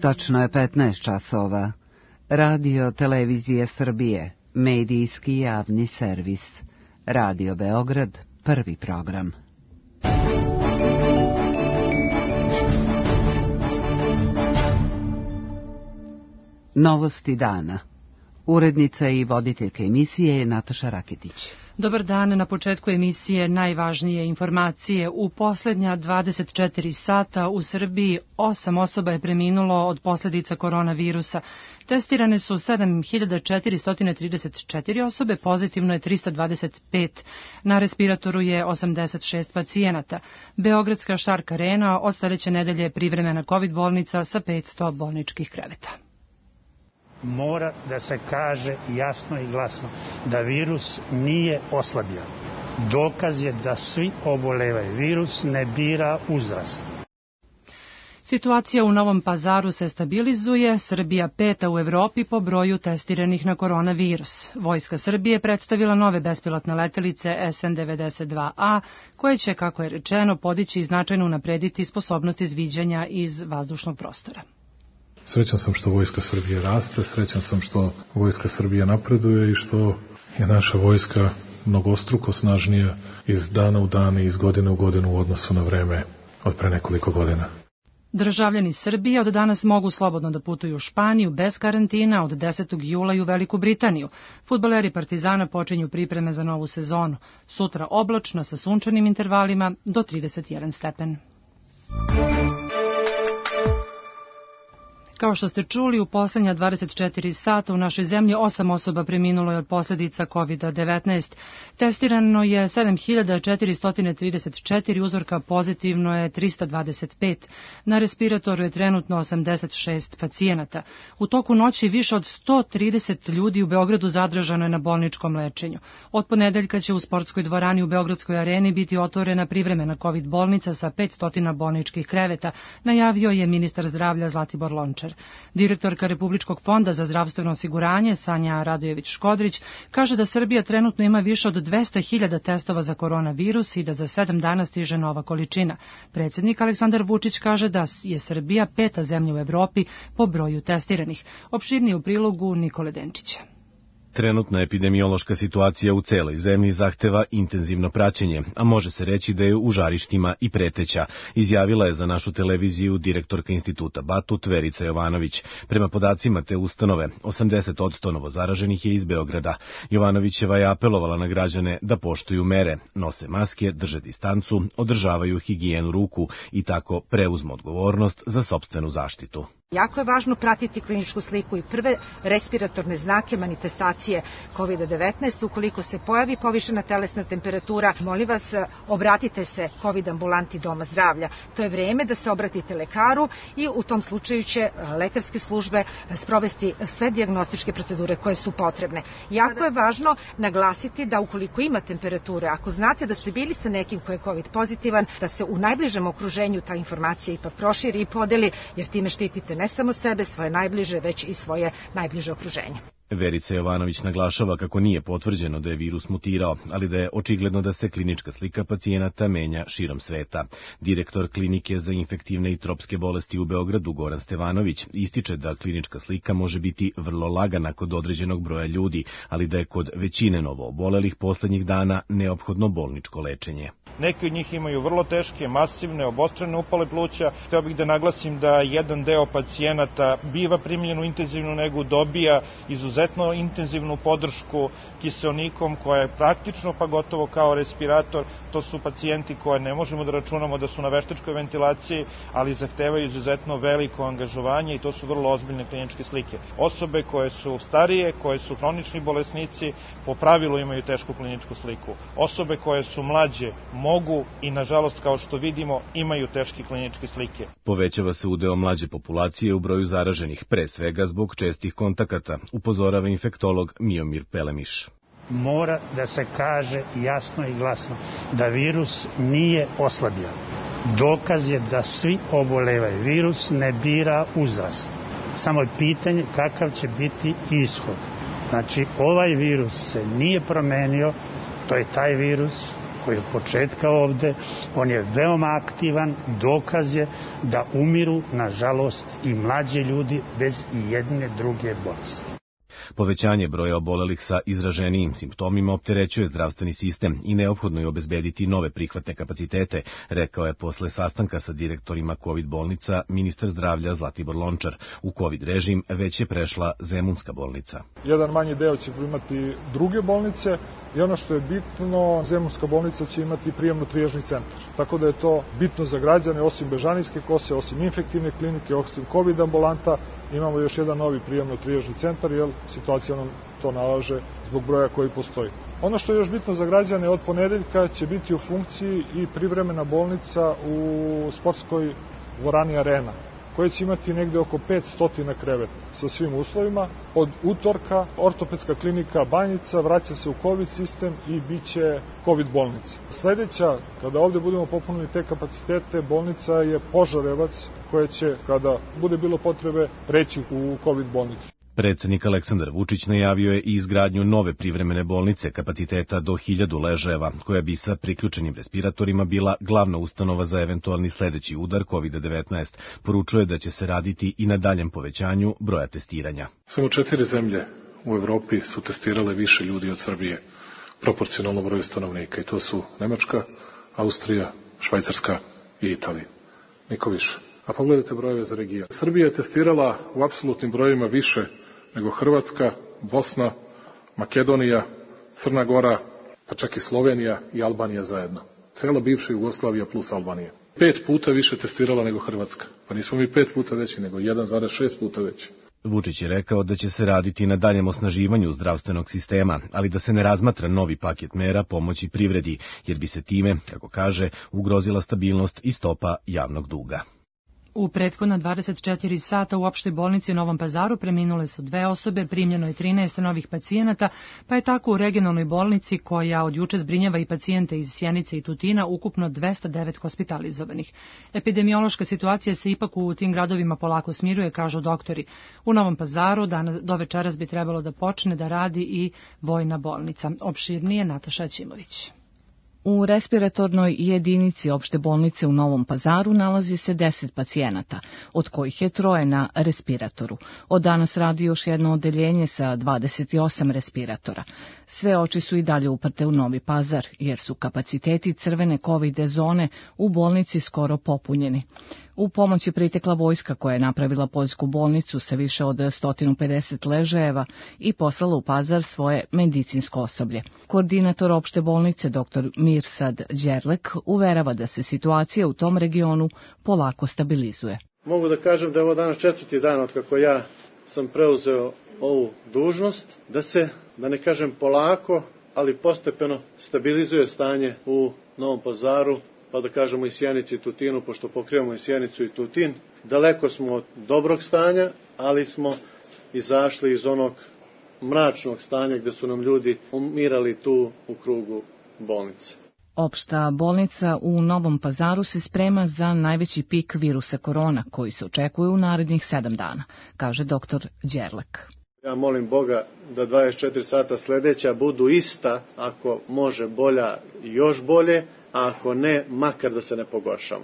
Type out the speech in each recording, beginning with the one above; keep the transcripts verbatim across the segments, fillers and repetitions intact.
Tačno je petnaest časova. Radio Televizije Srbije, medijski javni servis. Radio Beograd, prvi program. Novosti dana. Urednica i voditeljka emisije je Nataša Raketić. Dobar dan, na početku emisije najvažnije informacije. U posljednja dvadeset četiri sata u Srbiji osam osoba je preminulo od posljedica koronavirusa. Testirane su sedam hiljada četiristo trideset četiri osobe, pozitivno je trista dvadeset pet. Na respiratoru je osamdeset šest pacijenata. Beogradska Šark Arena od sljedeće nedelje je privremena COVID bolnica sa petsto bolničkih kreveta. Mora da se kaže jasno i glasno da virus nije oslabio. Dokaz je da svi obolevaju. Virus ne bira uzrast. Situacija u Novom Pazaru se stabilizuje, Srbija peta u Evropi po broju testiranih na koronavirus. Vojska Srbije predstavila nove bespilotne letelice S N devedeset dva A, koje će, kako je rečeno, podići i značajno unaprediti sposobnost izviđanja iz vazdušnog prostora. Srećan sam što Vojska Srbije raste, srećan sam što Vojska Srbije napreduje i što je naša vojska mnogostruko snažnija iz dana u dan i iz godine u godinu u odnosu na vreme od pre nekoliko godina. Državljani Srbije od danas mogu slobodno da putuju u Španiju bez karantina od desetog jula i u Veliku Britaniju. Fudbaleri Partizana počinju pripreme za novu sezonu. Sutra oblačno sa sunčanim intervalima do trideset jedan stepen. Kao što ste čuli, u posljednja dvadeset četiri sata u našoj zemlji osam osoba preminulo je od posljedica kovid devetnaest. Testirano je sedam hiljada četiristo trideset četiri uzorka, pozitivno je trista dvadeset pet. Na respiratoru je trenutno osamdeset šest pacijenata. U toku noći više od sto trideset ljudi u Beogradu zadržano je na bolničkom lečenju. Od ponedeljka će u sportskoj dvorani u Beogradskoj areni biti otvorena privremena COVID bolnica sa petsto bolničkih kreveta, najavio je ministar zdravlja Zlatibor Lončar. Direktorka Republičkog fonda za zdravstveno osiguranje Sanja Radojević-Škodrić kaže da Srbija trenutno ima više od dvesta hiljada testova za koronavirus i da za sedam dana stiže nova količina. Predsjednik Aleksandar Vučić kaže da je Srbija peta zemlja u Evropi po broju testiranih. Opširnije u prilogu Nikole Denčića. Trenutna epidemiološka situacija u celoj zemlji zahteva intenzivno praćenje, a može se reći da je u žarištima i preteća, izjavila je za našu televiziju direktorka instituta Batut Verica Jovanović. Prema podacima te ustanove, osamdeset posto novozaraženih je iz Beograda. Jovanovićeva je apelovala na građane da poštuju mere, nose maske, drže distancu, održavaju higijenu ruku i tako preuzmu odgovornost za sopstvenu zaštitu. Jako je važno pratiti kliničku sliku i prve respiratorne znake manifestacije kovid devetnaest. Ukoliko se pojavi povišena telesna temperatura, molim vas, obratite se COVID ambulanti Doma zdravlja. To je vreme da se obratite lekaru i u tom slučaju će lekarske službe sprovesti sve dijagnostičke procedure koje su potrebne. Jako je važno naglasiti da ukoliko ima temperature, ako znate da ste bili sa nekim ko je COVID pozitivan, da se u najbližem okruženju ta informacija ipak proširi i podeli, jer time štitite ne samo sebe, svoje najbliže, već i svoje najbliže okruženje. Verica Jovanović naglašava kako nije potvrđeno da je virus mutirao, ali da je očigledno da se klinička slika pacijenata menja širom sveta. Direktor klinike za infektivne i tropske bolesti u Beogradu Goran Stevanović ističe da klinička slika može biti vrlo lagana kod određenog broja ljudi, ali da je kod većine novoobolelih poslednjih dana neophodno bolničko lečenje. Neki od njih imaju vrlo teške, masivne, obostrane upale pluća. Hteo bih da naglasim da jedan deo pacijenata biva primljen u intenzivnu negu, dobija izuzetno intenzivnu podršku kiseonikom koja je praktično pa gotovo kao respirator. To su pacijenti koje ne možemo da računamo da su na veštačkoj ventilaciji, ali zahtevaju izuzetno veliko angažovanje i to su vrlo ozbiljne kliničke slike. Osobe koje su starije, koje su hronični bolesnici, po pravilu imaju tešku kliničku sliku. Osobe koje su mlađe mogu i, nažalost, kao što vidimo, imaju teške kliničke slike. Povećava se udeo mlađe populacije u broju zaraženih, pre svega zbog čestih kontakata, upozorava infektolog Miomir Pelemiš. Mora da se kaže jasno i glasno da virus nije oslabio. Dokaz je da svi obolevaju. Virus ne bira uzrast. Samo je pitanje kakav će biti ishod. Znači, ovaj virus se nije promenio, to je taj virus koji je od početka ovde, on je veoma aktivan, dokaz je da umiru, nažalost, i mlađi ljudi bez i jedne druge bolesti. Povećanje broja obolelih sa izraženijim simptomima opterećuje zdravstveni sistem i neophodno je obezbediti nove prihvatne kapacitete, rekao je posle sastanka sa direktorima COVID bolnica ministar zdravlja Zlatibor Lončar. U COVID režim već je prešla Zemunska bolnica. Jedan manji deo će imati druge bolnice i ono što je bitno, Zemunska bolnica će imati prijemno-trijažni centar. Tako da je to bitno za građane, osim Bežanijske kose, osim infektivne klinike, osim COVID ambulanta, imamo još jedan novi prijemno-trijažni centar, jer situacija nam to nalaže zbog broja koji postoji. Ono što je još bitno za građane, od ponedeljka će biti u funkciji i privremena bolnica u sportskoj dvorani Arena, koja će imati negde oko petsto kreveta sa svim uslovima. Od utorka ortopedska klinika Banjica vraća se u COVID sistem i bit će COVID bolnica. Sledeća, kada ovde budemo popunili te kapacitete, bolnica je Požarevac, koja će, kada bude bilo potrebe, preći u COVID bolnicu. Predsednik Aleksandar Vučić najavio je i izgradnju nove privremene bolnice kapaciteta do hiljadu ležajeva, koja bi sa priključenim respiratorima bila glavna ustanova za eventualni sledeći udar COVID devetnaest. Poručuje da će se raditi i na daljem povećanju broja testiranja. Samo četiri zemlje u Evropi su testirale više ljudi od Srbije, proporcionalno broju stanovnika, i to su Nemačka, Austrija, Švajcarska i Italija. Niko više. A pogledajte brojeve za region. Srbija je testirala u apsolutnim brojima više nego Hrvatska, Bosna, Makedonija, Crna Gora, pa čak i Slovenija i Albanija zajedno. Cela bivša Jugoslavija plus Albanija. Pet puta više testirala nego Hrvatska. Pa nismo mi pet puta veći, nego jedan zarez šest puta veći. Vučić je rekao da će se raditi na daljem osnaživanju zdravstvenog sistema, ali da se ne razmatra novi paket mera pomoći privredi, jer bi se time, kako kaže, ugrozila stabilnost i stopa javnog duga. U prethodna dvadeset četiri sata u opštoj bolnici u Novom Pazaru preminule su dve osobe, primljeno je trinaest novih pacijenata, pa je tako u regionalnoj bolnici, koja od juče zbrinjava i pacijente iz Sjenice i Tutina, ukupno dvesta devet hospitalizovanih. Epidemiološka situacija se ipak u tim gradovima polako smiruje, kažu doktori. U Novom Pazaru danas do večeras bi trebalo da počne da radi i vojna bolnica. Opširnije Nataša Ćimović. U respiratornoj jedinici opšte bolnice u Novom Pazaru nalazi se deset pacijenata, od kojih je troje na respiratoru. Od danas radi još jedno odeljenje sa dvadeset osam respiratora. Sve oči su i dalje uprte u Novi Pazar, jer su kapaciteti crvene COVID zone u bolnici skoro popunjeni. U pomoć je pritekla vojska, koja je napravila poljsku bolnicu sa više od sto pedeset ležajeva i poslala u Pazar svoje medicinsko osoblje. Koordinator opšte bolnice dr. Mirsad Đerlek uverava da se situacija u tom regionu polako stabilizuje. Mogu da kažem da je ovo danas četvrti dan od kako ja sam preuzeo ovu dužnost, da se, da ne kažem polako, ali postepeno stabilizuje stanje u Novom Pazaru, pa da kažemo i Sjenici i Tutinu, pošto pokrivamo i Sjenicu i Tutin. Daleko smo od dobrog stanja, ali smo izašli iz onog mračnog stanja gde su nam ljudi umirali tu u krugu bolnice. Opšta bolnica u Novom Pazaru se sprema za najveći pik virusa korona, koji se očekuje u narednih sedam dana, kaže doktor Đerlek. Ja molim Boga da dvadeset četiri sata sledeća budu ista, ako može bolja i još bolje, a ako ne, makar da se ne pogoršamo.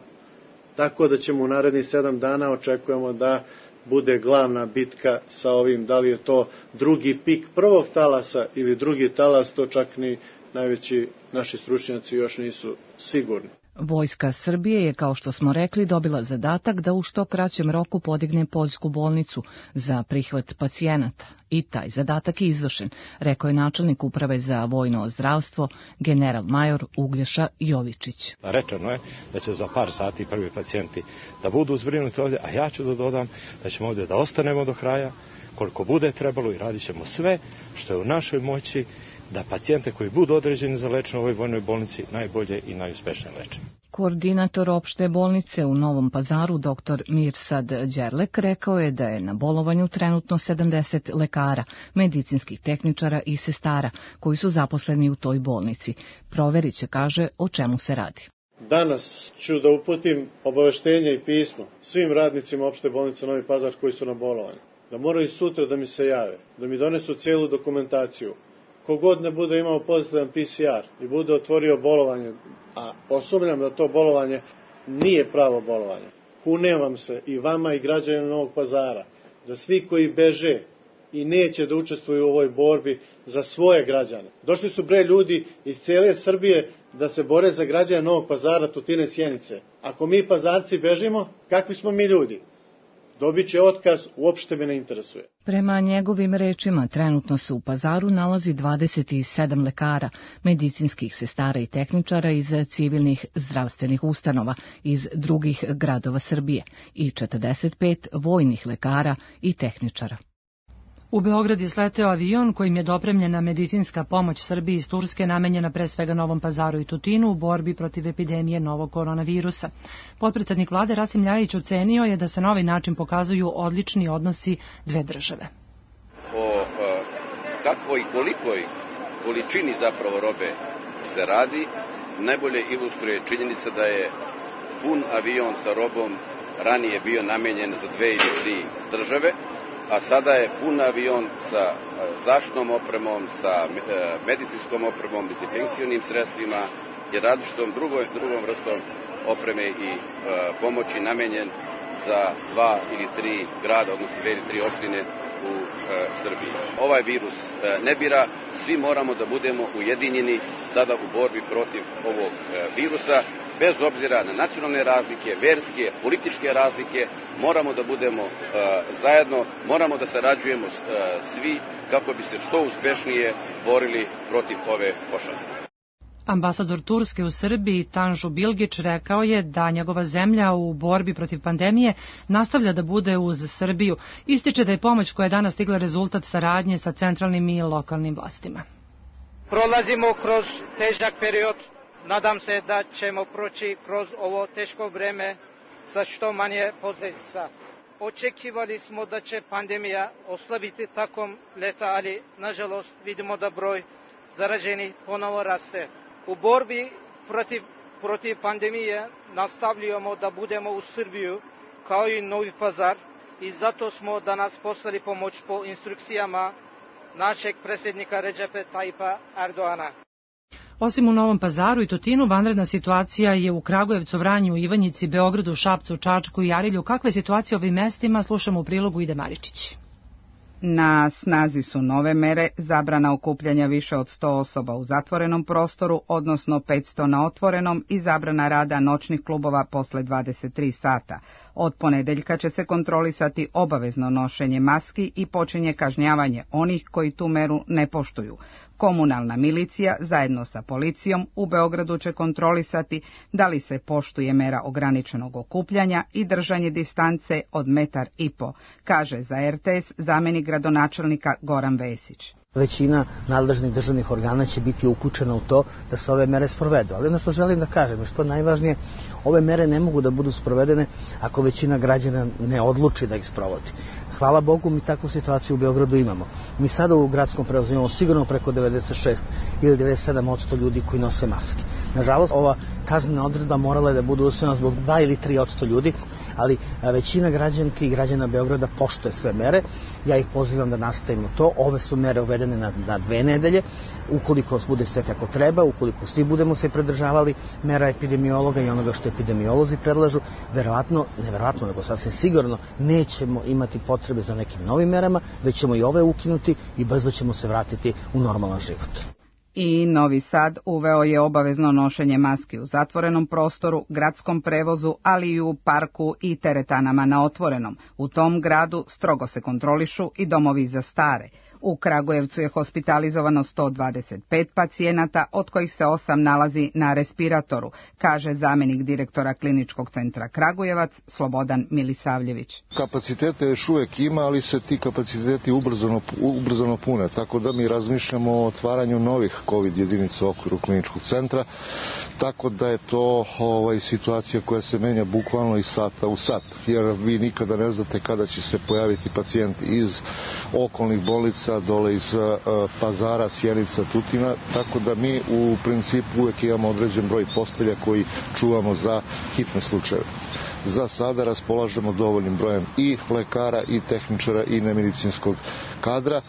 Tako da ćemo u narednih sedam dana očekujemo da bude glavna bitka sa ovim, da li je to drugi pik prvog talasa ili drugi talas, to čak ni najveći naši stručnjaci još nisu sigurni. Vojska Srbije je, kao što smo rekli, dobila zadatak da u što kraćem roku podigne poljsku bolnicu za prihvat pacijenata. I taj zadatak je izvršen, rekao je načelnik uprave za vojno zdravstvo, general major Uglješa Jovičić. Rečeno je da će za par sati prvi pacijenti da budu zbrinuti ovdje, a ja ću da dodam da ćemo ovdje da ostanemo do kraja, koliko bude trebalo, i radit ćemo sve što je u našoj moći da pacijente koji budu određeni za lečenje u ovoj vojnoj bolnici najbolje i najuspešnije leče. Koordinator opšte bolnice u Novom Pazaru, dr. Mirsad Đerlek, rekao je da je na bolovanju trenutno sedamdeset lekara, medicinskih tehničara i sestara koji su zaposleni u toj bolnici. Proverit će, kaže, o čemu se radi. Danas ću da uputim obaveštenje i pismo svim radnicima opšte bolnice Novi Pazar koji su na bolovanju. Da moraju sutra da mi se jave, da mi donesu cijelu dokumentaciju kogod ne bude imao pozitivan P C R i bude otvorio bolovanje, a posumnjam da to bolovanje nije pravo bolovanje, kunem vam se i vama i građanima Novog Pazara, da svi koji beže i neće da učestvuju u ovoj borbi za svoje građane. Došli su bre ljudi iz cijele Srbije da se bore za građane Novog Pazara, Tutine, Sjenice. Ako mi Pazarci bežimo, kakvi smo mi ljudi? Dobit će otkaz, uopšte me ne interesuje. Prema njegovim rečima, trenutno se u Pazaru nalazi dvadeset sedam lekara, medicinskih sestara i tehničara iz civilnih zdravstvenih ustanova iz drugih gradova Srbije i četrdeset pet vojnih lekara i tehničara. U Beograd je sleteo avion kojim je dopremljena medicinska pomoć Srbiji iz Turske namenjena pre svega Novom Pazaru i Tutinu u borbi protiv epidemije novog koronavirusa. Potpredsednik vlade Rasim Ljajić ocenio je da se na ovaj način pokazuju odlični odnosi dve države. O kakvoj i kolikoj količini zapravo robe se radi, najbolje ilustruje činjenica da je pun avion sa robom ranije bio namenjen za dve ili tri države, a sada je pun avion sa zaštitnom opremom, sa medicinskom opremom, dezinfekcionim sredstvima i različitom drugom, drugom vrstom opreme i e, pomoći namenjen za dva ili tri grada, odnosno dve ili tri opštine u e, Srbiji. Ovaj virus e, ne bira, svi moramo da budemo ujedinjeni sada u borbi protiv ovog e, virusa. Bez obzira na nacionalne razlike, verske, političke razlike, moramo da budemo uh, zajedno, moramo da sarađujemo uh, svi kako bi se što uspešnije borili protiv ove pošasti. Ambasador Turske u Srbiji Tanžu Bilgić rekao je da njegova zemlja u borbi protiv pandemije nastavlja da bude uz Srbiju. Ističe da je pomoć koja je danas stigla rezultat saradnje sa centralnim i lokalnim vlastima. Prolazimo kroz težak period. Nadam se da ćemo proći kroz ovo teško vreme sa što manje posljedica. Očekivali smo da će pandemija oslabiti tokom leta, ali nažalost vidimo da broj zaraženih ponovo raste. U borbi protiv, protiv pandemije nastavljamo da budemo u Srbiju kao i Novi Pazar i zato smo danas poslali pomoć po instrukcijama našeg predsjednika Redžepa Tajipa Erdoana. Osim u Novom Pazaru i Tutinu, vanredna situacija je u Kragujevcu, Vranju, Ivanjici, Beogradu, Šapcu, Čačku i Arilju. Kakva je situacija u ovim mestima? Slušamo u prilogu Ide Maričić. Na snazi su nove mere, zabrana okupljanja više od sto osoba u zatvorenom prostoru, odnosno petsto na otvorenom i zabrana rada noćnih klubova posle dvadeset tri sata. Od ponedeljka će se kontrolisati obavezno nošenje maski i počinje kažnjavanje onih koji tu meru ne poštuju. Komunalna milicija zajedno sa policijom u Beogradu će kontrolisati da li se poštuje mera ograničenog okupljanja i držanje distance od metar i po, kaže za R T S zamenik gradonačelnika Goran Vesić. Većina nadležnih državnih organa će biti uključena u to da se ove mere sprovedu. Ali ono što želim da kažem je što najvažnije, ove mere ne mogu da budu sprovedene ako većina građana ne odluči da ih sprovodi. Hvala Bogu, mi takvu situaciju u Beogradu imamo. Mi sada u gradskom prevozu imamo sigurno preko devedeset šest ili devedeset sedam posto ljudi koji nose maske. Nažalost, ova kaznena odredba morala je da bude usvojena zbog dva ili tri posto ljudi, ali većina građanki i građana Beograda poštuje sve mere. Ja ih pozivam da nastavimo to. Ove su mere uvedene na, na dve nedelje. Ukoliko bude sve kako treba, ukoliko svi budemo se pridržavali mera epidemiologa i onoga što epidemiolozi predlažu, verovatno, ne verovatno, nego sasvim sigurno nećemo imati potrebe za nekim novim merama, već ćemo i ove ukinuti i brzo ćemo se vratiti u normalan život. I Novi Sad uveo je obavezno nošenje maski u zatvorenom prostoru, gradskom prevozu, ali i u parku i teretanama na otvorenom. U tom gradu strogo se kontrolišu i domovi za stare. U Kragujevcu je hospitalizovano sto dvadeset pet pacijenata, od kojih se osam nalazi na respiratoru, kaže zamenik direktora Kliničkog centra Kragujevac Slobodan Milisavljević. Kapacitete još uvek ima, ali se ti kapaciteti ubrzano, ubrzano pune, tako da mi razmišljamo o otvaranju novih COVID jedinica u okviru Kliničkog centra, tako da je to ovaj, situacija koja se menja bukvalno iz sata u sat, jer vi nikada ne znate kada će se pojaviti pacijent iz okolnih bolnica Sjenica, dole iz Pazara, Sjenica, Tutina, tako da mi u principu uvek imamo određen broj postelja koji čuvamo za hitne slučajeve. Za sada raspolažemo dovoljnim brojem i lekara, i tehničara, i nemedicinskog kadra,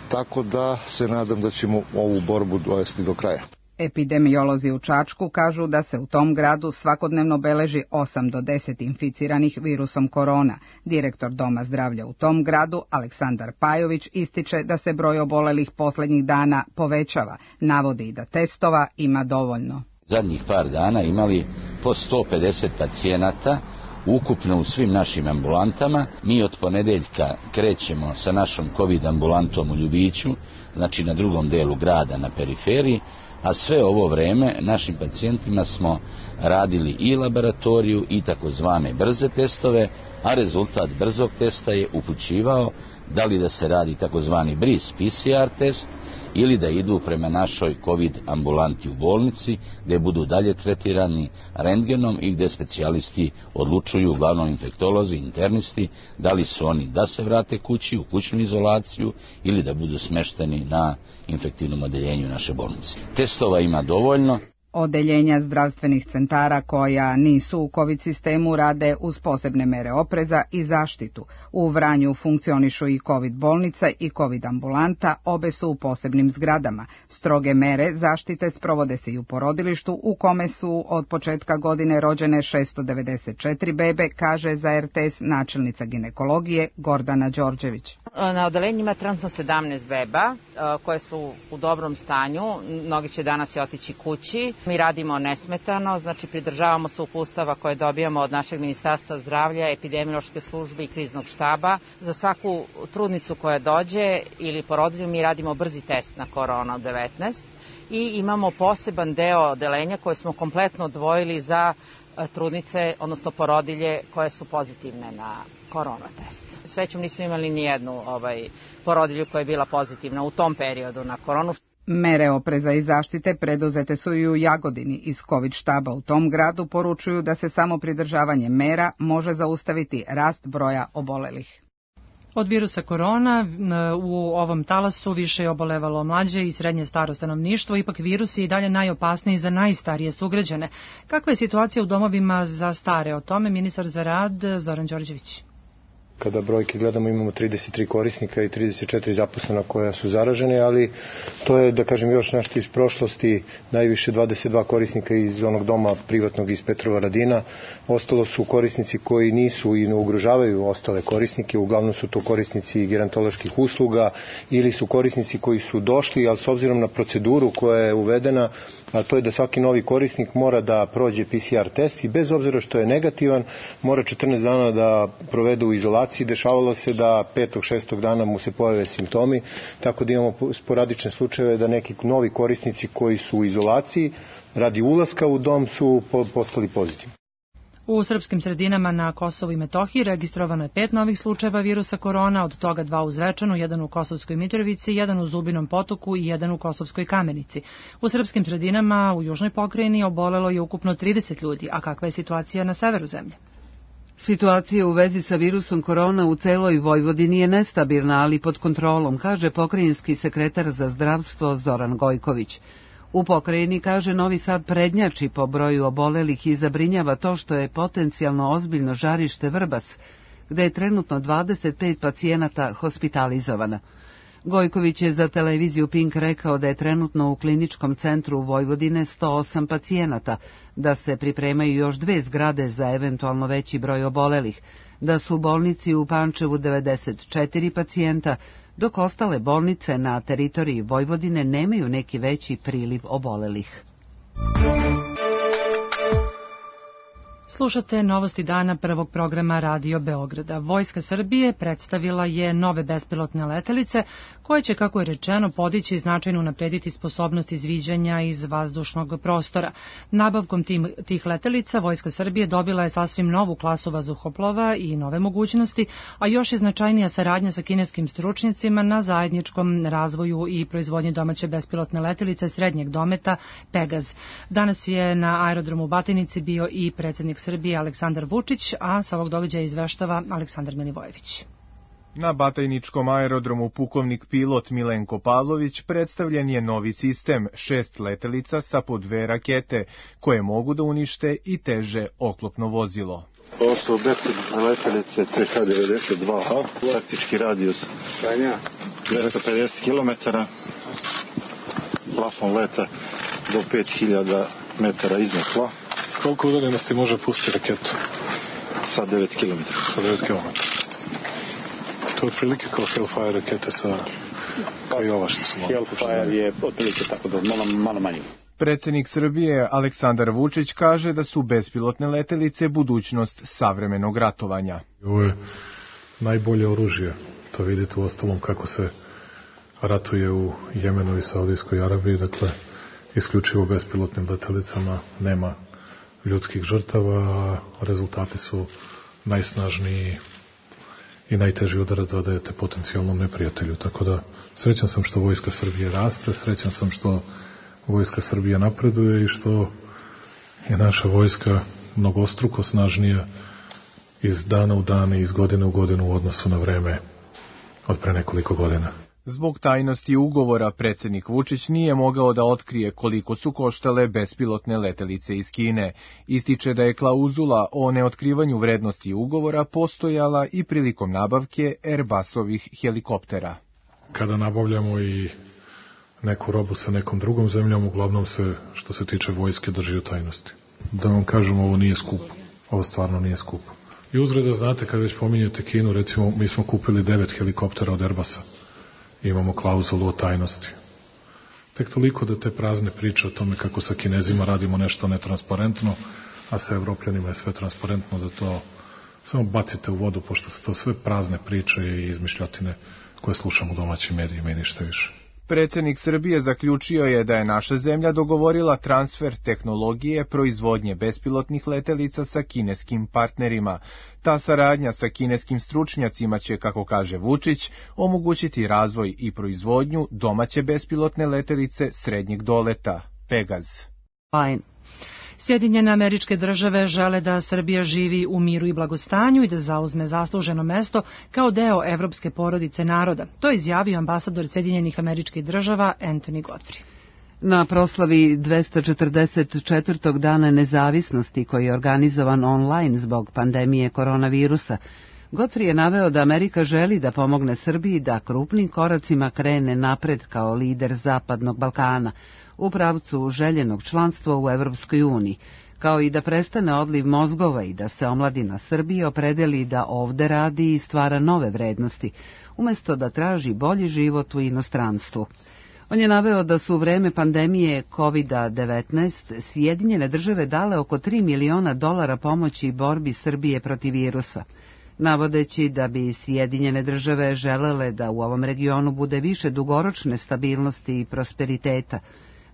tako da se nadam da ćemo ovu borbu dovesti do kraja. Epidemiolozi u Čačku kažu da se u tom gradu svakodnevno beleži osam do deset inficiranih virusom korona. Direktor Doma zdravlja u tom gradu, Aleksandar Pajović, ističe da se broj obolelih posljednjih dana povećava. Navodi i da testova ima dovoljno. Zadnjih par dana imali po sto pedeset pacijenata ukupno u svim našim ambulantama. Mi od ponedeljka krećemo sa našom COVID ambulantom u Ljubiću, znači na drugom delu grada na periferiji, a sve ovo vreme našim pacijentima smo radili i laboratoriju i takozvane brze testove, a rezultat brzog testa je upućivao da li da se radi takozvani bris P C R test ili da idu prema našoj COVID ambulanti u bolnici, gdje budu dalje tretirani rentgenom i gdje specijalisti odlučuju, uglavnom infektolozi, internisti, da li su oni da se vrate kući u kućnu izolaciju ili da budu smešteni na infektivnom odeljenju naše bolnice. Testova ima dovoljno. Odeljenja zdravstvenih centara koja nisu u COVID sistemu rade uz posebne mere opreza i zaštitu. U Vranju funkcionišu i COVID bolnica i COVID ambulanta, obe su u posebnim zgradama. Stroge mere zaštite sprovode se i u porodilištu u kome su od početka godine rođene šesto devedeset četiri bebe, kaže za R T S načelnica ginekologije Gordana Đorđević. Na odelenju ima trenutno sedamnaest beba koje su u dobrom stanju, mnogi će danas i otići kući. Mi radimo nesmetano, znači pridržavamo se uputstava koje dobijamo od našeg Ministarstva zdravlja, epidemiološke službe i kriznog štaba. Za svaku trudnicu koja dođe ili porodilju mi radimo brzi test na korona devetnaest i imamo poseban deo odelenja koje smo kompletno odvojili za trudnice, odnosno porodilje koje su pozitivne na korona test. Srećom nismo imali ni jednu ovaj, porodilju koja je bila pozitivna u tom periodu na koronu. Mere opreza i zaštite preduzete su i u Jagodini. Iz COVID štaba u tom gradu poručuju da se samo pridržavanje mera može zaustaviti rast broja obolelih. Od virusa korona u ovom talasu više je obolevalo mlađe i srednje staro stanovništvo, ipak virus je i dalje najopasniji za najstarije sugrađane. Kakva je situacija u domovima za stare? O tome ministar za rad Zoran Đorđević. Kada brojke gledamo, imamo trideset tri korisnika i trideset četiri zaposlena koja su zaražene, ali to je, da kažem, još nešto iz prošlosti, najviše dvadeset dva korisnika iz onog doma privatnog iz Petrova Radina. Ostalo su korisnici koji nisu i ne ugrožavaju ostale korisnike, uglavnom su to korisnici gerontoloških usluga ili su korisnici koji su došli, ali s obzirom na proceduru koja je uvedena, a to je da svaki novi korisnik mora da prođe P C R test i bez obzira što je negativan, mora četrnaest dana da provede u izolaciji. Dešavalo se da petog, šestog dana mu se pojave simptomi, tako da imamo sporadične slučajeve da neki novi korisnici koji su u izolaciji radi ulaska u dom su postali pozitivni. U srpskim sredinama na Kosovu i Metohiji registrovano je pet novih slučajeva virusa korona, od toga dva u Zvečanu, jedan u Kosovskoj Mitrovici, jedan u Zubinom Potoku i jedan u Kosovskoj Kamenici. U srpskim sredinama u južnoj pokrajini obolelo je ukupno trideset ljudi, a kakva je situacija na severu zemlje? Situacija u vezi sa virusom korona u celoj Vojvodini je nestabilna, ali pod kontrolom, kaže pokrajinski sekretar za zdravstvo Zoran Gojković. U pokrajini, kaže, Novi Sad prednjači po broju obolelih i zabrinjava to što je potencijalno ozbiljno žarište Vrbas, gde je trenutno dvadeset pet pacijenata hospitalizovano. Gojković je za televiziju Pink rekao da je trenutno u kliničkom centru Vojvodine sto osam pacijenata, da se pripremaju još dve zgrade za eventualno veći broj obolelih, da su u bolnici u Pančevu devedeset četiri pacijenta, dok ostale bolnice na teritoriji Vojvodine nemaju neki veći priliv obolelih. Slušate novosti dana prvog programa Radio Beograda. Vojska Srbije predstavila je nove bespilotne letelice koje će, kako je rečeno, podići i značajno unaprediti sposobnost izviđanja iz vazdušnog prostora. Nabavkom tim, tih letelica Vojska Srbije dobila je sasvim novu klasu vazduhoplova i nove mogućnosti, a još je značajnija saradnja sa kineskim stručnjacima na zajedničkom razvoju i proizvodnji domaće bespilotne letelice srednjeg dometa Pegaz. Danas je na aerodromu u Batinici bio i predsjednik Srbije Aleksandar Vučić, a sa ovog događaja izveštava Aleksandar Milivojević. Na Batajničkom aerodromu pukovnik pilot Milenko Pavlović predstavljen je novi sistem, šest letelica sa po dve rakete, koje mogu da unište i teže oklopno vozilo. Ovo su bespilotne letelice C H devedeset dva H, taktički radijus dvesta pedeset kilometara, plafon leta do pet hiljada metara iznad tla. S koliko udaljenosti može pustiti raketu? Sa devet kilometara. Sa devet kilometara. To je otprilike kao Hellfire rakete sa kao i ova što su malo. Hellfire je otprilike tako da malo, malo manje. Predsjednik Srbije Aleksandar Vučić kaže da su bespilotne letelice budućnost savremenog ratovanja. Ovo je najbolje oružje. To vidite u ostalom kako se ratuje u Jemenu i Saudijskoj Arabiji. Dakle, isključivo bespilotnim letjelicama nema ljudskih žrtava, a rezultati su najsnažniji i najteži udarac zadajete potencijalnom neprijatelju. Tako da srećan sam što Vojska Srbije raste, srećan sam što Vojska Srbije napreduje i što je naša vojska mnogostruko snažnija iz dana u dan i iz godine u godinu u odnosu na vreme od pre nekoliko godina. Zbog tajnosti ugovora predsjednik Vučić nije mogao da otkrije koliko su koštale bespilotne letelice iz Kine. Ističe da je klauzula o neotkrivanju vrednosti ugovora postojala i prilikom nabavke Airbusovih helikoptera. Kada nabavljamo i neku robu sa nekom drugom zemljom, uglavnom se, što se tiče vojske, drži u tajnosti. Da vam kažem, ovo nije skupo. Ovo stvarno nije skupo. I uzgled da znate, kad već pominjete Kinu, recimo, mi smo kupili devet helikoptera od Airbusa. Imamo klauzulu o tajnosti. Tek toliko da te prazne priče o tome kako sa Kinezima radimo nešto netransparentno, a sa Evropljanima je sve transparentno, da to samo bacite u vodu, pošto su to sve prazne priče i izmišljotine koje slušamo u domaćim medijima i ništa više. Predsjednik Srbije zaključio je da je naša zemlja dogovorila transfer tehnologije proizvodnje bespilotnih letelica sa kineskim partnerima. Ta saradnja sa kineskim stručnjacima će, kako kaže Vučić, omogućiti razvoj i proizvodnju domaće bespilotne letelice srednjeg doleta, Pegaz. Fine. Sjedinjene Američke Države žele da Srbija živi u miru i blagostanju i da zauzme zasluženo mesto kao deo evropske porodice naroda. To je izjavio ambasador Sjedinjenih Američkih Država Anthony Godfrey. Na proslavi dvesta četrdeset četvrtog dana nezavisnosti koji je organizovan online zbog pandemije koronavirusa, Godfrey je naveo da Amerika želi da pomogne Srbiji da krupnim koracima krene napred kao lider Zapadnog Balkana u pravcu željenog članstva u Evropskoj uniji, kao i da prestane odliv mozgova i da se omladina Srbije opredeli da ovde radi i stvara nove vrednosti, umesto da traži bolji život u inostranstvu. On je naveo da su u vreme pandemije kovid devetnaest Sjedinjene Države dale oko tri miliona dolara pomoći borbi Srbije protiv virusa, navodeći da bi Sjedinjene Države želele da u ovom regionu bude više dugoročne stabilnosti i prosperiteta.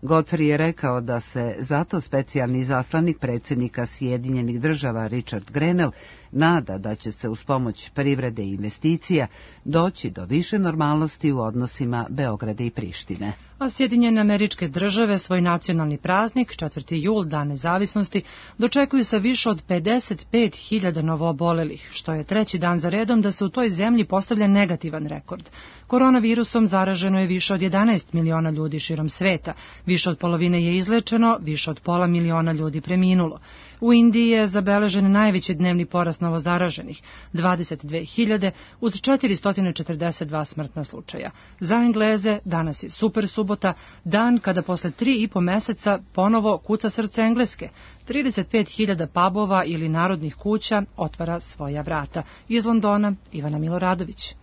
Godfrey je rekao da se zato specijalni izaslanik predsjednika Sjedinjenih Država Richard Grenell nada da će se uz pomoć privrede i investicija doći do više normalnosti u odnosima Beograda i Prištine. A Sjedinjene Američke Države svoj nacionalni praznik, četvrti jul, Dan nezavisnosti, dočekuju sa više od pedeset pet hiljada novoobolelih, što je treći dan za redom da se u toj zemlji postavlja negativan rekord. Koronavirusom zaraženo je više od jedanaest miliona ljudi širom sveta, više od polovine je izlečeno, više od pola miliona ljudi preminulo. U Indiji je zabeležen najveći dnevni porast novozaraženih, dvadeset dve hiljade, uz četiristo četrdeset dva smrtna slučaja. Za Engleze danas je super subota, dan kada posle tri i po meseca ponovo kuca srce Engleske. trideset pet hiljada pubova ili narodnih kuća otvara svoja vrata. Iz Londona, Ivana Miloradović.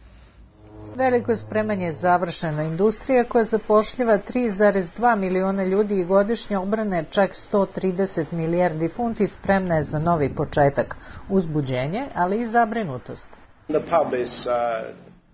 Veliko spremanje završena industrija koja zapošljava tri zarez dva miliona ljudi i godišnje obrane čak sto trideset milijardi funti spremna je za novi početak, uzbuđenje, ali i zabrinutost.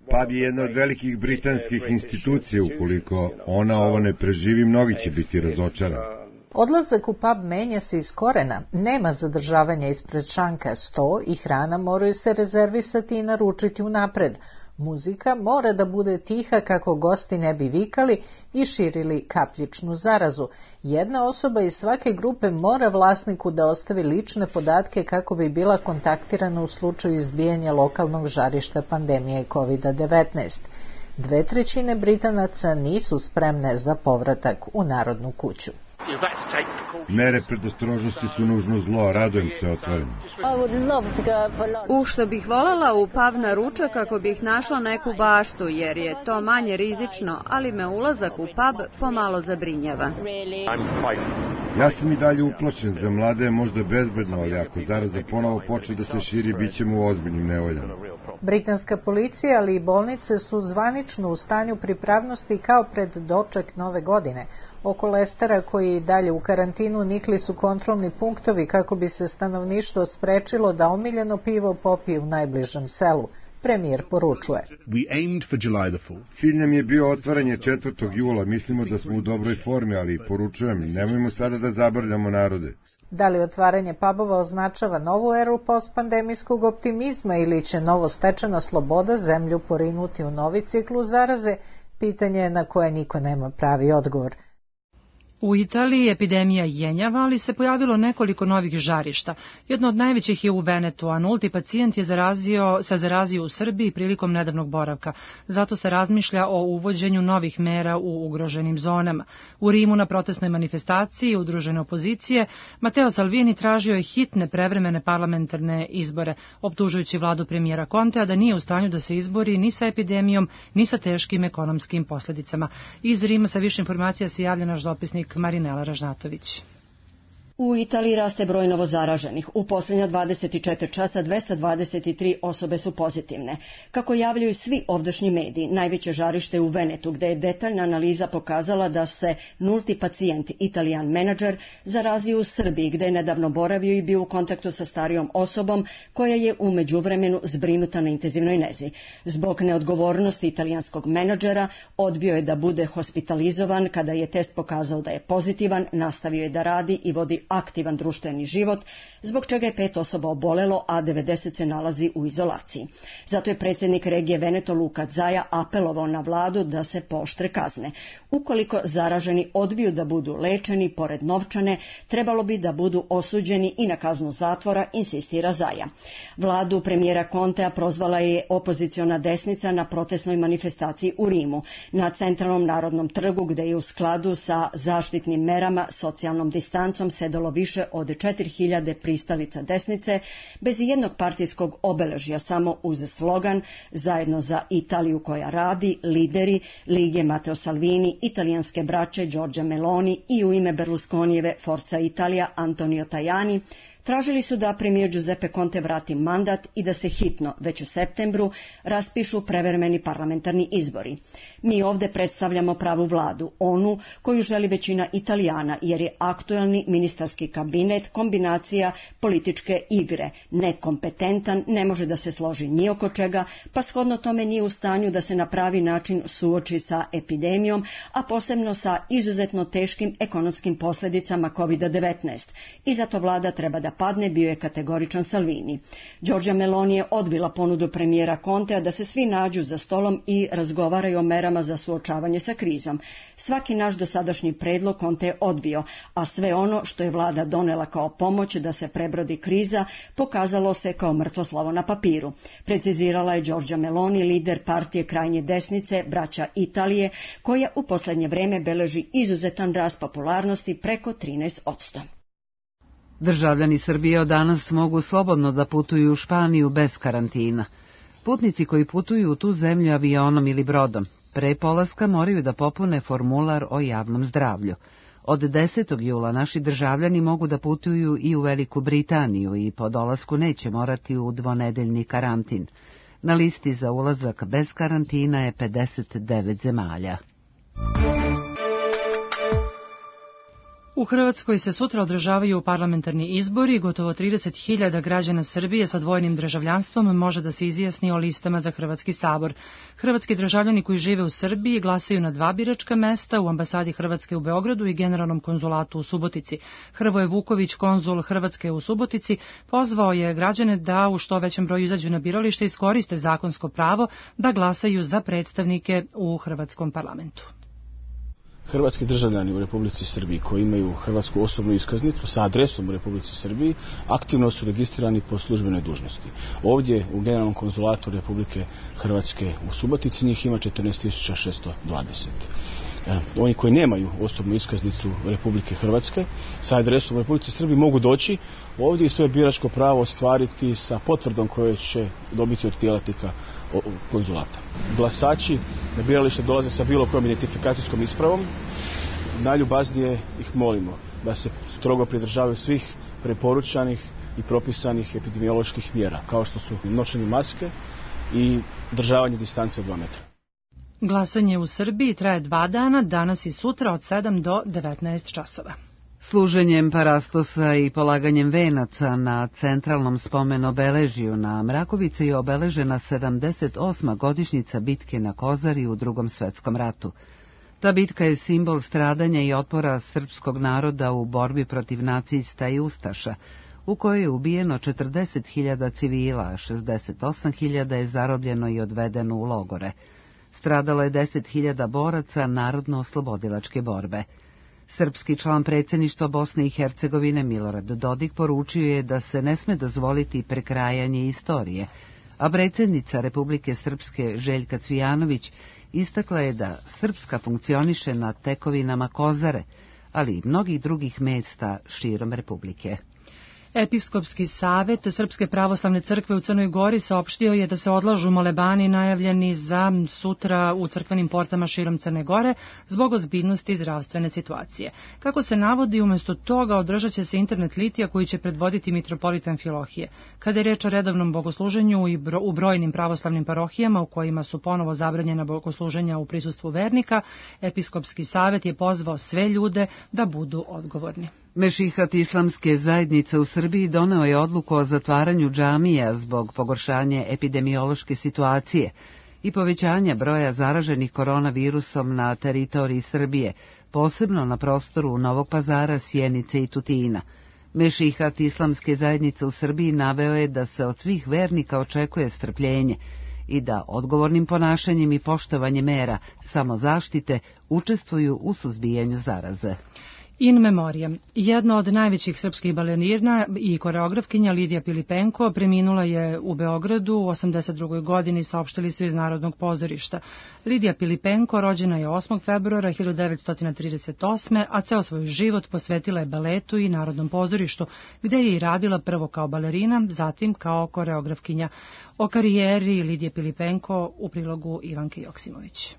Pub je jedna od velikih britanskih institucija, ukoliko ona ovo ne preživi, mnogi će biti razočarani. Odlazak u pub menja se iz korena, nema zadržavanja ispred šanka, sto i hrana moraju se rezervisati i naručiti unapred. Muzika mora da bude tiha kako gosti ne bi vikali i širili kapljičnu zarazu. Jedna osoba iz svake grupe mora vlasniku da ostavi lične podatke kako bi bila kontaktirana u slučaju izbijanja lokalnog žarišta pandemije kovid devetnaest. Dve trećine Britanaca nisu spremne za povratak u Narodnu kuću. Mere predostrožnosti su nužno zlo, radujem se otvaranju. U što bih voljela u pub na ručak kako bih našla neku baštu, jer je to manje rizično, ali me ulazak u pub pomalo zabrinjava. Ja sam i dalje uplašen, za mlade je možda bezbedno, ali ako zaraza ponovo počne da se širi, bit ćemo u ozbiljnim nevoljama. Britanska policija, ali i bolnice su zvanično u stanju pripravnosti kao pred doček nove godine. Oko Lestera, koji je dalje u karantinu, nikli su kontrolni punktovi kako bi se stanovništvo sprečilo da omiljeno pivo popije u najbližem selu. Premijer poručuje. Cilj nam je bio otvaranje četvrtog jula, mislimo da smo u dobroj formi, ali poručujem, nemojmo sada da zabavljamo narode. Da li otvaranje pubova označava novu eru postpandemijskog optimizma ili će novo stečena sloboda zemlju porinuti u novi ciklus zaraze, pitanje je na koje niko nema pravi odgovor. U Italiji epidemija jenjava, ali se pojavilo nekoliko novih žarišta. Jedno od najvećih je u Venetu, a nulti pacijent je zarazio, se zarazio u Srbiji prilikom nedavnog boravka. Zato se razmišlja o uvođenju novih mera u ugroženim zonama. U Rimu na protestnoj manifestaciji udružene opozicije Matteo Salvini tražio je hitne prevremene parlamentarne izbore, optužujući vladu premijera Contea da nije u stanju da se izbori ni sa epidemijom, ni sa teškim ekonomskim posljedicama. Iz Rima sa više informacija se javlja naš dopisnik Marinela Ražnatović. U Italiji raste broj novozaraženih. U posljednja dvadeset četiri časa dvesta dvadeset tri osobe su pozitivne. Kako javljaju svi ovdašnji mediji, najveće žarište je u Venetu, gde je detaljna analiza pokazala da se nulti pacijent, Italijan menadžer, zarazio u Srbiji, gde je nedavno boravio i bio u kontaktu sa starijom osobom koja je u međuvremenu zbrinuta na intenzivnoj nezi. Zbog neodgovornosti italijanskog menadžera odbio je da bude hospitalizovan. Kada je test pokazao da je pozitivan, nastavio je da radi i vodi aktivan društveni život, zbog čega je pet osoba obolelo, a devedeset se nalazi u izolaciji. Zato je predsjednik regije Veneto Luka Zaja apelovao na vladu da se pooštre kazne. Ukoliko zaraženi odbiju da budu lečeni, pored novčane, trebalo bi da budu osuđeni i na kaznu zatvora, insistira Zaja. Vladu premijera Contea prozvala je opoziciona desnica na protestnoj manifestaciji u Rimu, na centralnom narodnom trgu, gde je u skladu sa zaštitnim merama, socijalnom distancom sedalo više od četiri hiljade pristalica desnice, bez jednog partijskog obeležja, samo uz slogan Zajedno za Italiju koja radi, lideri Lige Matteo Salvini, italijanske braće Giorgia Meloni i u ime Berlusconijeve Forza Italia Antonio Tajani, tražili su da premijer Giuseppe Conte vrati mandat i da se hitno, već u septembru, raspišu prevremeni parlamentarni izbori. Mi ovde predstavljamo pravu vladu, onu koju želi većina Italijana, jer je aktuelni ministarski kabinet kombinacija političke igre, nekompetentan, ne može da se složi ni oko čega, pa shodno tome nije u stanju da se na pravi način suoči sa epidemijom, a posebno sa izuzetno teškim ekonomskim posljedicama kovid devetnaest. I zato vlada treba da padne, bio je kategoričan Salvini. Giorgia Meloni je odbila ponudu premijera Contea da se svi nađu za stolom i razgovaraju o merama za suočavanje sa krizom. Svaki naš dosadašnji predlog Conte je odbio, a sve ono što je vlada donela kao pomoć da se prebrodi kriza pokazalo se kao mrtvo slovo na papiru. Precizirala je Giorgia Meloni, lider partije krajnje desnice, braća Italije, koja u posljednje vreme beleži izuzetan rast popularnosti preko trinaest posto. Državljani Srbije od danas mogu slobodno da putuju u Španiju bez karantina. Putnici koji putuju u tu zemlju avionom ili brodom, pre polaska moraju da popune formular o javnom zdravlju. Od desetog jula naši državljani mogu da putuju i u Veliku Britaniju i po dolasku neće morati u dvonedeljni karantin. Na listi za ulazak bez karantina je pedeset devet zemalja. U Hrvatskoj se sutra održavaju parlamentarni izbori. Gotovo trideset hiljada građana Srbije sa dvojnim državljanstvom može da se izjasni o listama za Hrvatski sabor. Hrvatski državljani koji žive u Srbiji glasaju na dva biračka mesta u ambasadi Hrvatske u Beogradu i generalnom konzulatu u Subotici. Hrvoje Vuković, konzul Hrvatske u Subotici, pozvao je građane da u što većem broju izađu na biralište i iskoriste zakonsko pravo da glasaju za predstavnike u Hrvatskom parlamentu. Hrvatski državljani u Republici Srbiji koji imaju hrvatsku osobnu iskaznicu sa adresom u Republici Srbiji aktivno su registrirani po službenoj dužnosti. Ovdje u Generalnom konzulatu Republike Hrvatske u Subotici njih ima četrnaest tisuća šesto dvadeset. Oni koji nemaju osobnu iskaznicu Republike Hrvatske sa adresom u Republici Srbiji mogu doći ovdje i svoje biračko pravo ostvariti sa potvrdom koje će dobiti od djelatnika konzulata. Glasači na biralište dolaze sa bilo kojom identifikacijskom ispravom. Najljubaznije ih molimo da se strogo pridržavaju svih preporučanih i propisanih epidemioloških mjera, kao što su nošenje maske i državanje distance od dva metra. Glasanje u Srbiji traje dva dana, danas i sutra od sedam do devetnaest časova. Služenjem parastosa i polaganjem venaca na centralnom spomen obeležju na Mrakovici je obeležena sedamdeset osma godišnjica bitke na Kozari u Drugom svetskom ratu. Ta bitka je simbol stradanja i otpora srpskog naroda u borbi protiv nacista i ustaša, u kojoj je ubijeno četrdeset hiljada civila, a šezdeset osam hiljada je zarobljeno i odvedeno u logore. Stradalo je deset hiljada boraca narodno-oslobodilačke borbe. Srpski član predsjedništva Bosne i Hercegovine Milorad Dodik poručio je da se ne sme dozvoliti prekrajanje istorije, a predsjednica Republike Srpske Željka Cvijanović istakla je da Srpska funkcioniše na tekovinama Kozare, ali i mnogih drugih mesta širom Republike. Episkopski savet Srpske pravoslavne crkve u Crnoj Gori saopštio je da se odlažu molebani najavljeni za sutra u crkvenim portama širom Crne Gore zbog ozbiljnosti zdravstvene situacije. Kako se navodi, umjesto toga održat će se internet litija koji će predvoditi mitropolita Amfilohije. Kada je reč o redovnom bogosluženju i bro, u brojnim pravoslavnim parohijama u kojima su ponovo zabranjena bogosluženja u prisustvu vernika, Episkopski savet je pozvao sve ljude da budu odgovorni. Mešihat islamske zajednice u Srbiji doneo je odluku o zatvaranju džamija zbog pogoršanja epidemiološke situacije i povećanja broja zaraženih koronavirusom na teritoriji Srbije, posebno na prostoru Novog Pazara, Sjenice i Tutina. Mešihat islamske zajednice u Srbiji naveo je da se od svih vernika očekuje strpljenje i da odgovornim ponašanjem i poštovanjem mera samozaštite učestvuju u suzbijanju zaraze. In memoriam. Jedna od najvećih srpskih balerina i koreografkinja Lidija Pilipenko preminula je u Beogradu u osamdeset drugoj godini, saopštili su iz Narodnog pozorišta. Lidija Pilipenko rođena je osmog februara hiljadu devetsto trideset osme. a ceo svoj život posvetila je baletu i Narodnom pozorištu, gde je i radila prvo kao balerina, zatim kao koreografkinja. O karijeri Lidije Pilipenko u prilogu Ivanke Joksimović.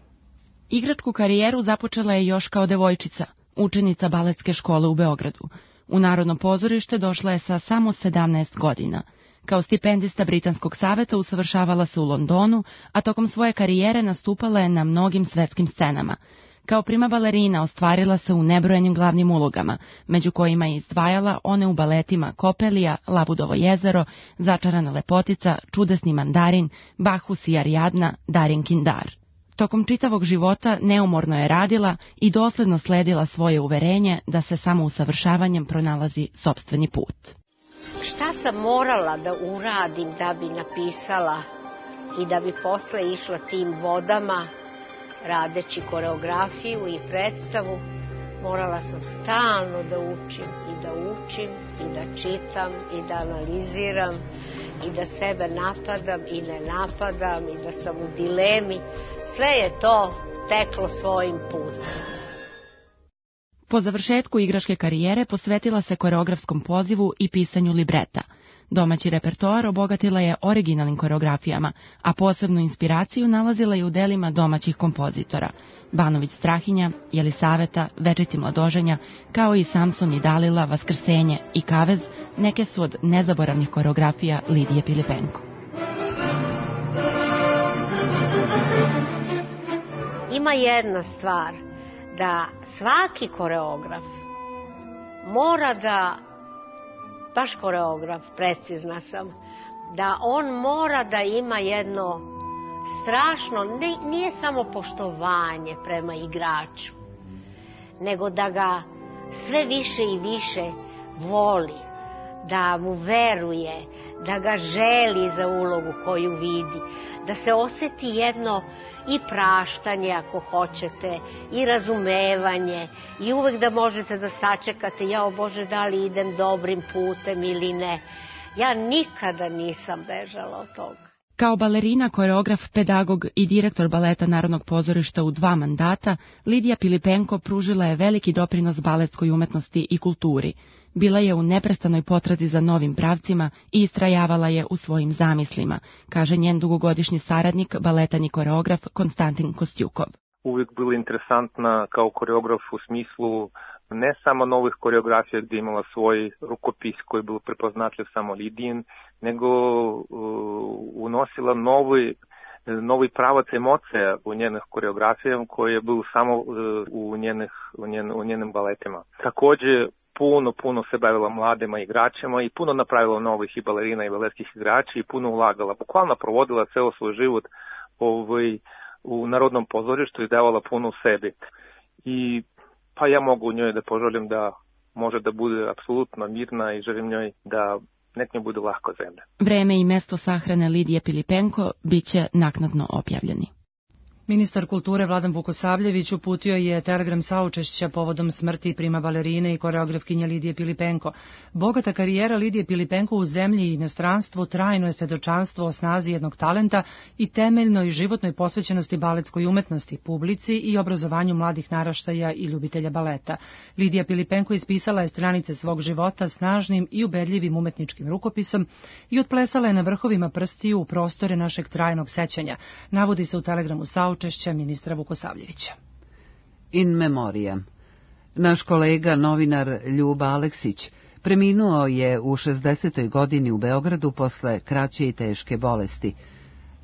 Igračku karijeru započela je još kao devojčica, učenica baletske škole u Beogradu. U Narodno pozorište došla je sa samo sedamnaest godina. Kao stipendista Britanskog saveta usavršavala se u Londonu, a tokom svoje karijere nastupala je na mnogim svetskim scenama. Kao prima balerina ostvarila se u nebrojenim glavnim ulogama, među kojima je izdvajala one u baletima Kopelija, Labudovo jezero, Začarana lepotica, Čudesni mandarin, Bahus i Ariadna, Darjenkin dar. Tokom čitavog života neumorno je radila i dosledno sledila svoje uverenje da se samo usavršavanjem pronalazi sopstveni put. Šta sam morala da uradim da bi napisala i da bi posle išla tim vodama, radeći koreografiju i predstavu, morala sam stalno da učim i da učim i da čitam i da analiziram i da sebe napadam i ne napadam i da sam u dilemi. Sve je to teklo svojim putem. Po završetku igračke karijere posvetila se koreografskom pozivu i pisanju libreta. Domaći repertoar obogatila je originalnim koreografijama, a posebnu inspiraciju nalazila je u delima domaćih kompozitora. Banović Strahinja, Jelisaveta, Večiti mladoženja, kao i Samson i Dalila, Vaskrsenje i Kavez, neke su od nezaboravnih koreografija Lidije Pilipenko. Ima jedna stvar, da svaki koreograf mora da, baš koreograf, precizna sam, da on mora da ima jedno strašno, ne, nije samo poštovanje prema igraču, nego da ga sve više i više voli, da mu veruje, da ga želi za ulogu koju vidi, da se oseti jedno i praštanje ako hoćete, i razumevanje, i uvek da možete da sačekate, jao Bože, da li idem dobrim putem ili ne. Ja nikada nisam bežala od toga. Kao balerina, koreograf, pedagog i direktor baleta Narodnog pozorišta u dva mandata, Lidija Pilipenko pružila je veliki doprinos baletskoj umetnosti i kulturi. Bila je u neprestanoj potrazi za novim pravcima i istrajavala je u svojim zamislima, kaže njen dugogodišnji saradnik, baletan i koreograf Konstantin Kostjukov. Uvijek bila interesantna kao koreograf u smislu ne samo novih koreografija gdje imala svoj rukopis koji je bio prepoznatljiv samo Lidijin, nego uh, unosila novi, novi pravac emocija u njenih koreografijama koji je bio samo uh, u, njenih, u, njen, u njenim baletima. Također puno, puno se bavila mladima igračima i puno napravila novih i balerina i baletskih igrača i puno ulagala. Bukvalno provodila ceo svoj život ovaj, u Narodnom pozorištu i davala puno u sebi. I pa ja mogu njoj da poželim da može da bude apsolutno mirna i želim njoj da nek njoj bude lahko zemlja. Vreme i mesto sahrane Lidije Pilipenko bit će naknadno objavljeni. Ministar kulture Vladan Vukosavljević uputio je telegram saučešća povodom smrti prima balerine i koreografkinje Lidije Pilipenko. Bogata karijera Lidije Pilipenko u zemlji i inostranstvu trajno je svedočanstvo o snazi jednog talenta i temeljnoj životnoj posvećenosti baletskoj umetnosti, publici i obrazovanju mladih naraštaja i ljubitelja baleta. Lidija Pilipenko ispisala je stranice svog života snažnim i ubedljivim umetničkim rukopisom i otplesala je na vrhovima prstiju u prostore našeg trajnog sećanja, navodi se u telegramu saučešća učešća ministra Vukosavljevića. In memoriam. Naš kolega, novinar Ljuba Aleksić, preminuo je u šezdesetoj godini u Beogradu posle kraće i teške bolesti.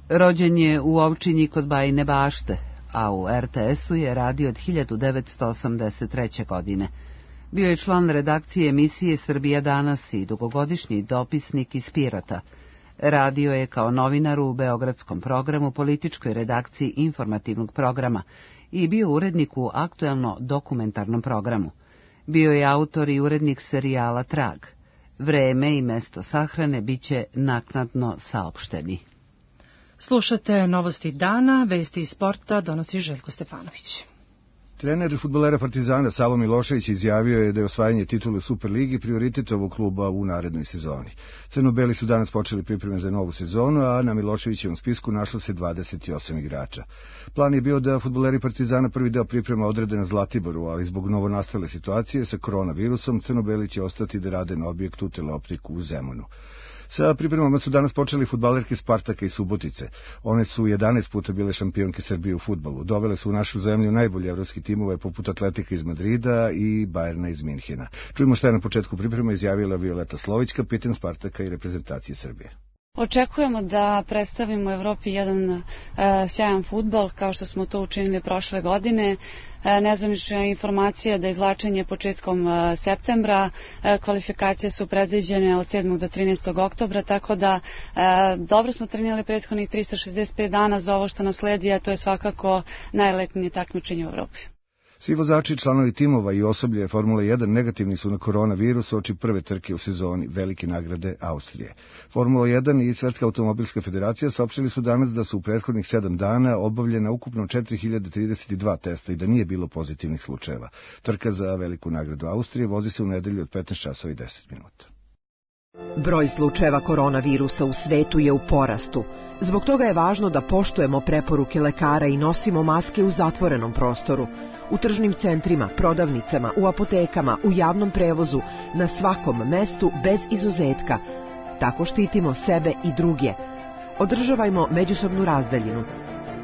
Rođen je u Ovčinji kod Bajine Bašte, a u er te esu je radio od hiljadu devetsto osamdeset treće. godine. Bio je član redakcije emisije Srbija danas i dugogodišnji dopisnik iz Pirota. Radio je kao novinar u beogradskom programu, političkoj redakciji informativnog programa i bio urednik u aktuelno dokumentarnom programu. Bio je autor i urednik serijala Trag. Vreme i mesto sahrane biće naknadno saopšteni. Slušate novosti dana, vesti iz sporta donosi Željko Stefanović. Trener fudbalera Partizana Savo Milošević izjavio je da je osvajanje titule u Superligi prioritet ovog kluba u narednoj sezoni. Crno-beli su danas počeli pripreme za novu sezonu, a na Miloševićevom spisku našlo se dvadeset osam igrača. Plan je bio da fudbaleri Partizana prvi deo priprema odrede na Zlatiboru, ali zbog novonastale situacije sa koronavirusom crno-beli će ostati da rade na objektu Teleoptiku u Zemunu. Sa pripremama su danas počeli fudbalerke Spartaka i Subotice. One su jedanaest puta bile šampionke Srbije u fudbalu. Dovele su u našu zemlju najbolje evropski timove poput Atletika iz Madrida i Bajerna iz Minhena. Čujemo šta je na početku priprema izjavila Violeta Slović, kapitan Spartaka i reprezentacije Srbije. Očekujemo da predstavimo Evropi jedan uh, sjajan fudbal kao što smo to učinili prošle godine. Uh, nezvanična informacija da izvlačenje početkom uh, septembra, uh, kvalifikacije su predviđene od sedmog do trinaestog oktobra, tako da uh, dobro smo trenirali prethodnih trista šezdeset pet dana za ovo što nas sledi, a to je svakako najletnije takmičenje u Evropi. Svi vozači, članovi timova i osoblje Formule jedan negativni su na koronavirus oči prve trke u sezoni velike nagrade Austrije. Formula jedan i Svetska automobilska federacija saopštili su danas da su u prethodnih sedam dana obavljena ukupno četiri hiljade trideset dva testa i da nije bilo pozitivnih slučajeva. Trka za veliku nagradu Austrije vozi se u nedelju od petnaest časova i deset minuta. Broj slučajeva koronavirusa u svetu je u porastu. Zbog toga je važno da poštujemo preporuke lekara i nosimo maske u zatvorenom prostoru. U tržnim centrima, prodavnicama, u apotekama, u javnom prevozu, na svakom mestu bez izuzetka. Tako štitimo sebe i druge. Održavajmo međusobnu razdaljinu.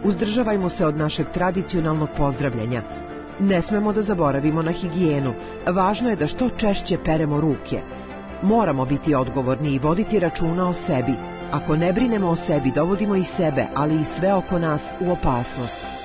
Uzdržavajmo se od našeg tradicionalnog pozdravljanja. Ne smemo da zaboravimo na higijenu. Važno je da što češće peremo ruke. Moramo biti odgovorni i voditi računa o sebi. Ako ne brinemo o sebi, dovodimo i sebe, ali i sve oko nas u opasnost.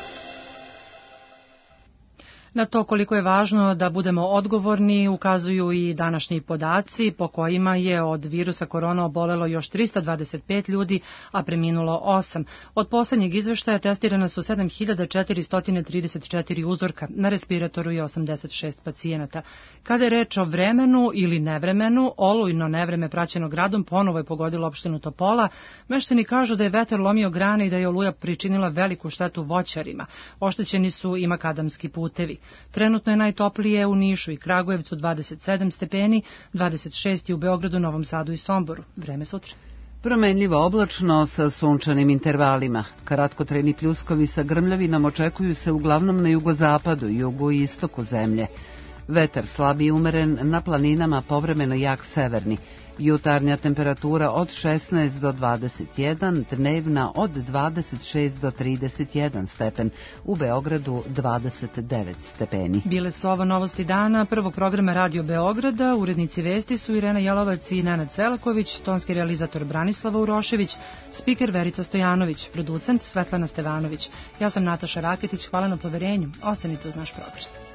Na to koliko je važno da budemo odgovorni ukazuju i današnji podaci po kojima je od virusa korona obolelo još trista dvadeset pet ljudi, a preminulo osam. Od poslednjeg izveštaja testirana su sedam hiljada četiristo trideset četiri uzorka, na respiratoru je osamdeset šest pacijenata. Kada je reč o vremenu ili nevremenu, olujno nevreme praćeno gradom ponovo je pogodilo opštinu Topola. Meštani kažu da je vetar lomio grane i da je oluja pričinila veliku štetu voćarima. Oštećeni su i makadamski putevi. Trenutno je najtoplije u Nišu i Kragujevcu dvadeset sedam stepeni, dvadeset šest u Beogradu, Novom Sadu i Somboru. Vreme sutra. Promenljivo oblačno sa sunčanim intervalima. Kratkotrajni pljuskovi sa grmljavinom očekuju se uglavnom na jugozapadu, jugu i istoku zemlje. Vetar slab i umeren, na planinama povremeno jak severni. Jutarnja temperatura od šesnaest do dvadeset jedan, dnevna od dvadeset šest do trideset jedan stepen, u Beogradu dvadeset devet stepeni. Bile su ovo novosti dana prvog programa Radio Beograda. Urednici vesti su Irena Jelovac i Nenad Selaković, tonski realizator Branislava Urošević, spiker Verica Stojanović, producent Svetlana Stevanović. Ja sam Nataša Raketić, hvala na poverenju. Ostanite uz naš program.